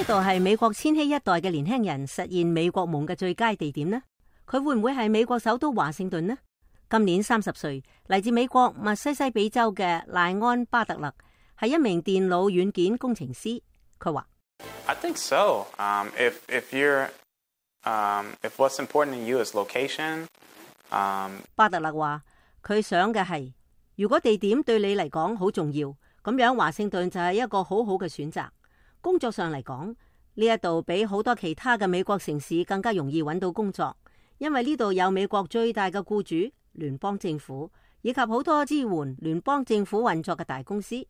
呢度係美國千禧一代嘅年輕人實現美國夢嘅最佳地點呢？佢會唔會係美國首都華盛頓呢？今年30歲，嚟自美國密西西比州嘅賴安巴特勒係一名電腦軟件工程師。佢話：I think so. If what's important to you is location. 巴特勒話：佢想嘅係，如果地點對你嚟講好重要，咁樣華盛頓就係一個好好嘅選擇。工作上嚟講，呢一度比好多其他嘅美國城市更加容易揾到工作，因為呢度有美國最大嘅僱主聯邦政府，以及好多支援聯邦政府運作嘅大公司。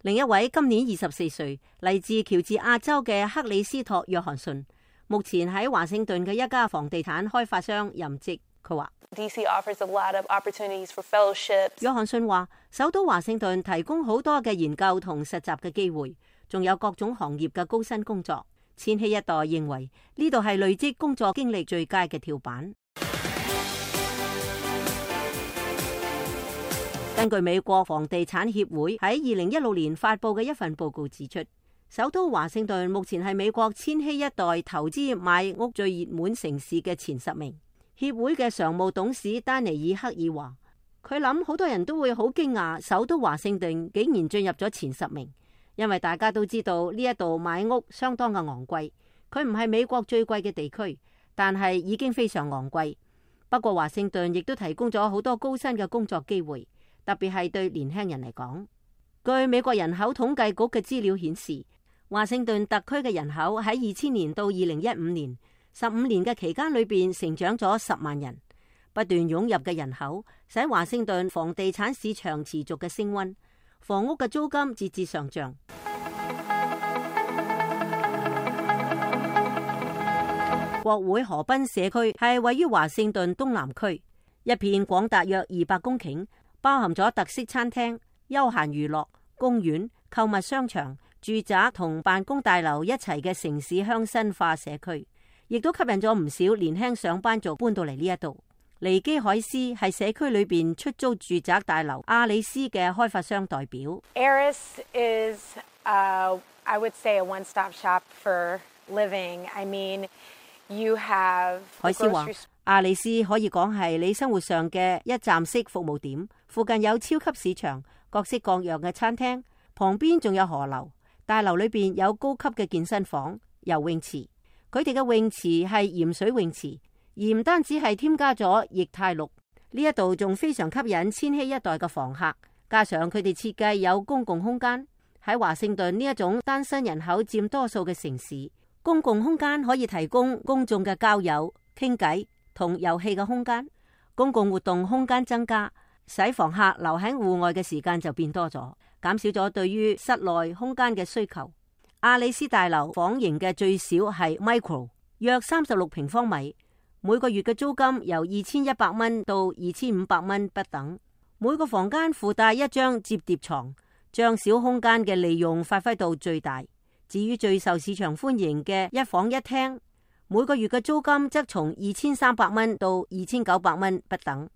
另一位今年24歲，嚟自喬治亞州嘅克里斯托約翰遜，目前喺華盛頓嘅一家房地產開發商任職。佢話DC offers a lot of opportunities for fellowships. 約翰遜話，首都華盛頓提供好多嘅研究同實習嘅機會，仲有各種行業嘅高薪工作。千禧一代認為呢度係累積工作經歷最佳嘅跳板。根據美國房地產協會喺2016年發佈嘅一份報告指出，首都華盛頓目前係美國千禧一代投資買屋最熱門城市嘅前10名。協會嘅常務董事丹尼爾克爾話，佢諗好多人都會好驚訝，首都華盛頓竟然進入咗前10名，因為大家都知道呢一度買屋相當嘅昂貴。佢唔係美國最貴嘅地區，但係已經非常昂貴。不過華盛頓亦都提供咗好多高薪嘅工作機會，特別係對年輕人嚟講。據美國人口統計局嘅資料顯示，華盛頓特區嘅人口喺2000年到2015年15年嘅期間裏邊成長咗10萬人，不斷湧入嘅人口使華盛頓房地產市場持續嘅升溫，房屋嘅租金節節上漲。國會河濱社區係位於華盛頓東南區，一片廣達約200公頃，包含咗特色餐廳、休閒娛樂、公園、購物商場、住宅同辦公大樓一齊嘅城市鄉紳化社區，亦都吸引咗唔少年輕上班族搬到嚟呢一度。尼基海斯係社區裏邊出租住宅大樓阿里斯嘅開發商代表。Aris is, I would say, a one-stop shop for living. I mean, you have 海斯話，阿里斯可以講係你生活上嘅一站式服務點，附近有超級市場、各式各樣嘅餐廳，旁邊仲有河流，大樓裏邊有高級嘅健身房、游泳池。佢哋嘅泳池係鹽水泳池，而唔單止係添加咗液態氯，呢一度仲非常吸引千禧一代嘅房客。加上佢哋設計有公共空間，喺華盛頓呢一種單身人口佔多數嘅城市，公共空間可以提供公眾嘅交友、傾偈同遊戲嘅空間。公共活動空間增加，使房客留喺戶外嘅時間就變多咗，減少咗對於室內空間嘅需求。阿里斯大樓房型嘅最少係 micro， 約36平方米，每個月嘅租金由2100蚊到2500蚊不等。每個房間附帶一張摺疊床，將小空間嘅利用發揮到最大。至於最受市場歡迎嘅一房一廳，每個月嘅租金則從2300蚊到2900蚊不等。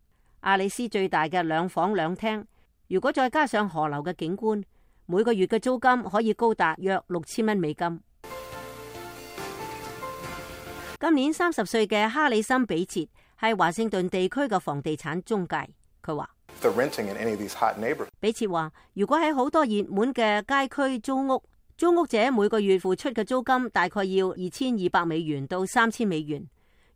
阿里斯最大嘅2房2廳，如果再加上河流嘅景觀，每個月嘅租金可以高達約6000蚊美金。今年30歲嘅哈里森比切係華盛頓地區嘅房地產中介。佢話：比切話，如果喺好多熱門嘅街區租屋，租屋者每個月付出嘅租金大概要2200美元到3000美元。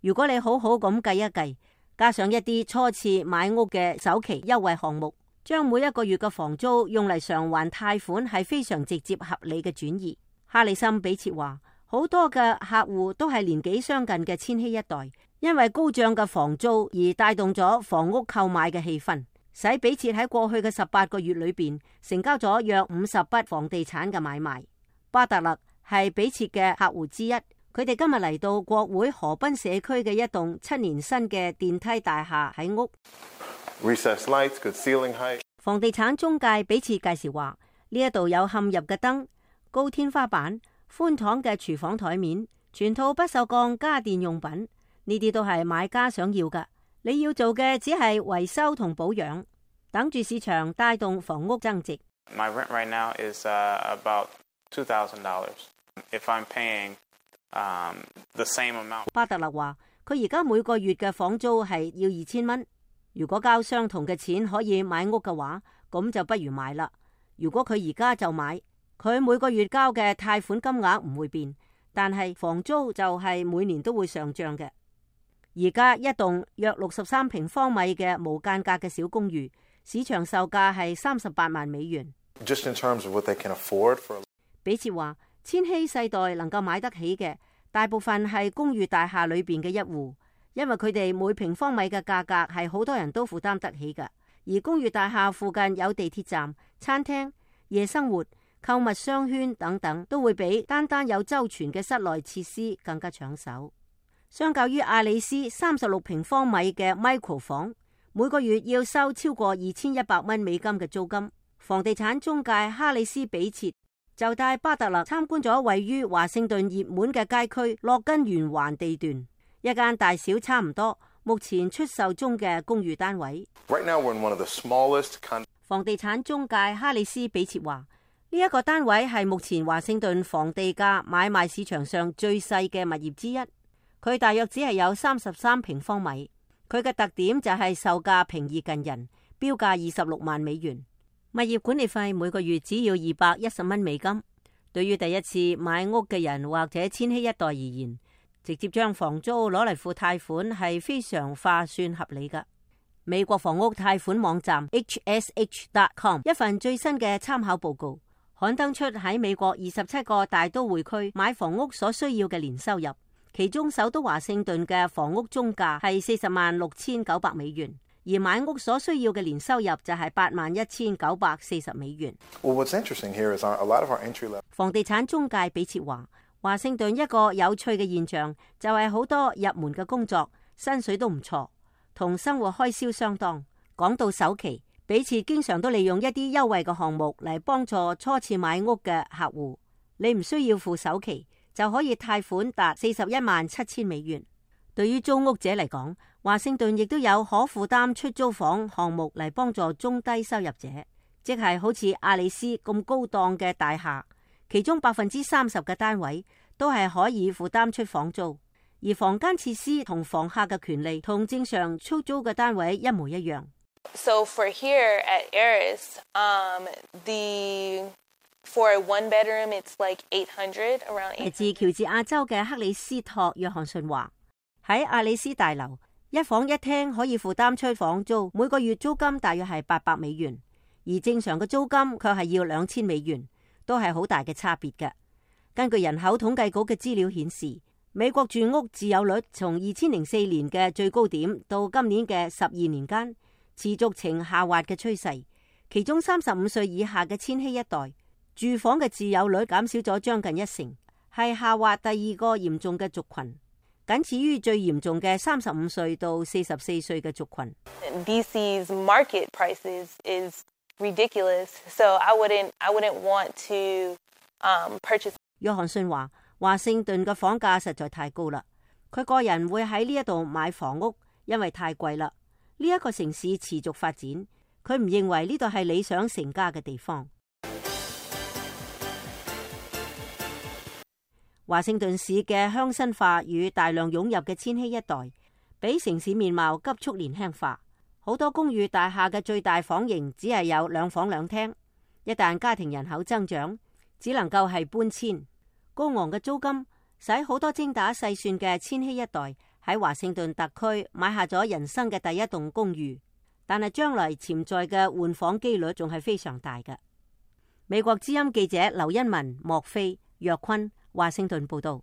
如果你好好咁計一計，加上一啲初次買屋嘅首期優惠項目，將每一個月嘅房租用嚟償還貸款係非常直接合理嘅轉移。哈里森比切話，好多嘅客戶都係年紀相近嘅千禧一代，因為高漲嘅房租而帶動咗房屋購買嘅氣氛，使比切喺過去嘅18個月裏邊成交咗約50筆房地產嘅買賣。巴特勒係比切嘅客戶之一，佢哋今日嚟到國會河濱社區嘅一棟7年新嘅電梯大廈喺屋。房地產中介比切介紹話，呢一度有嵌入嘅燈、高天花板、寬敞嘅廚房台面，全套不鏽鋼家電用品，呢啲都係買家想要㗎。你要做嘅只係維修同保養，等住市場帶動房屋增值。My rent right now is about $2,000. If I'm paying the same amount， 巴特勒話佢而家每個月嘅房租係要2000蚊。如果交相同嘅錢可以買屋嘅話，咁就不如買啦。如果佢而家就買，佢每個月交嘅貸款金額唔會變，但係房租就係每年都會上漲嘅。而家一棟約63平方米嘅無間隔嘅小公寓，市場售價係38萬美元。Just in terms of what they can afford for。 比切話，千禧世代能夠買得起嘅，大部分係公寓大廈裏邊嘅一戶，因為佢哋每平方米嘅價格係好多人都負擔得起嘅。而公寓大廈附近有地鐵站、餐廳、夜生活、購物商圈等等，都會比單單有周全嘅室內設施更加搶手。相較於阿里斯36平方米嘅 micro 房，每個月要收超過2100蚊美金嘅租金。房地產中介哈里斯比切就帶巴特勒參觀咗位於華盛頓熱門嘅街區洛根圓環地段，一間大小差唔多，目前出售中嘅公寓單位。Right now we're in one of the smallest房地產中介哈里斯比切話，呢一個單位係目前華盛頓房地價買賣市場上最細嘅物業之一。佢大約只係有33平方米。佢嘅特點就係售價平易近人，標價26萬美元。物業管理費每個月只要210蚊美金。對於第一次買屋嘅人或者千禧一代而言，直接將房租攞嚟付貸款係非常划算合理㗎。美國房屋貸款網站 HSH.com 一份最新嘅參考報告刊登出喺美國27個大都會區買房屋所需要嘅年收入，其中首都華盛頓嘅房屋中價係406900美元，而買屋所需要嘅年收入就係81940美元。Well, what's interesting here is a lot of our entry level。 房地產中介比切話，華盛頓一個有趣嘅現象就係好多入門嘅工作薪水都唔錯，同生活開銷相當。講到首期，比切經常都利用一啲優惠嘅項目嚟幫助初次買屋嘅客戶。你唔需要付首期就可以貸款達417000美元。對於租屋者嚟講，華盛頓亦都有可負擔出租房項目嚟幫助中低收入者，即係好似阿里斯咁高檔嘅大廈，其中30%嘅單位都係可以負擔出房租，而房間設施同房客嘅權利同正常出租嘅單位一模一樣。So for here at Eris, for a one bedroom, it's like $800 around。 嚟自喬治亞州嘅克里斯托約翰遜話，喺阿里斯大樓一房一廳可以負擔出房租，每個月租金大約係800美元，而正常嘅租金卻係要2000美元，都係好大嘅差別嘅。根據人口統計局嘅資料顯示，美國住屋自有率從2004年嘅最高點到今年嘅12年間，持續呈下滑嘅趨勢。其中35歲以下嘅千禧一代住房嘅自有率減少咗將近1成，係下滑第二個嚴重嘅族群，僅次於最嚴重嘅35歲到44歲嘅族群。DC's market prices is ridiculous, so I wouldn't want to purchase。約翰遜話，華盛頓嘅房價實在太高啦，佢個人會喺呢一度買房屋，因為太貴啦。呢一個城市持續發展，佢唔認為呢度係理想成家嘅地方。華盛頓市嘅鄉紳化與大量湧入嘅千禧一代，俾城市面貌急速年輕化。好多公寓大廈嘅最大房型只係有2房2廳，一旦家庭人口增長，只能夠係搬遷。高昂嘅租金使好多精打細算嘅千禧一代喺華盛頓特區買下咗人生嘅第一棟公寓，但係將來潛在嘅換房機率仲係非常大嘅。美國之音記者劉欣文、莫菲、約坤華盛頓報道。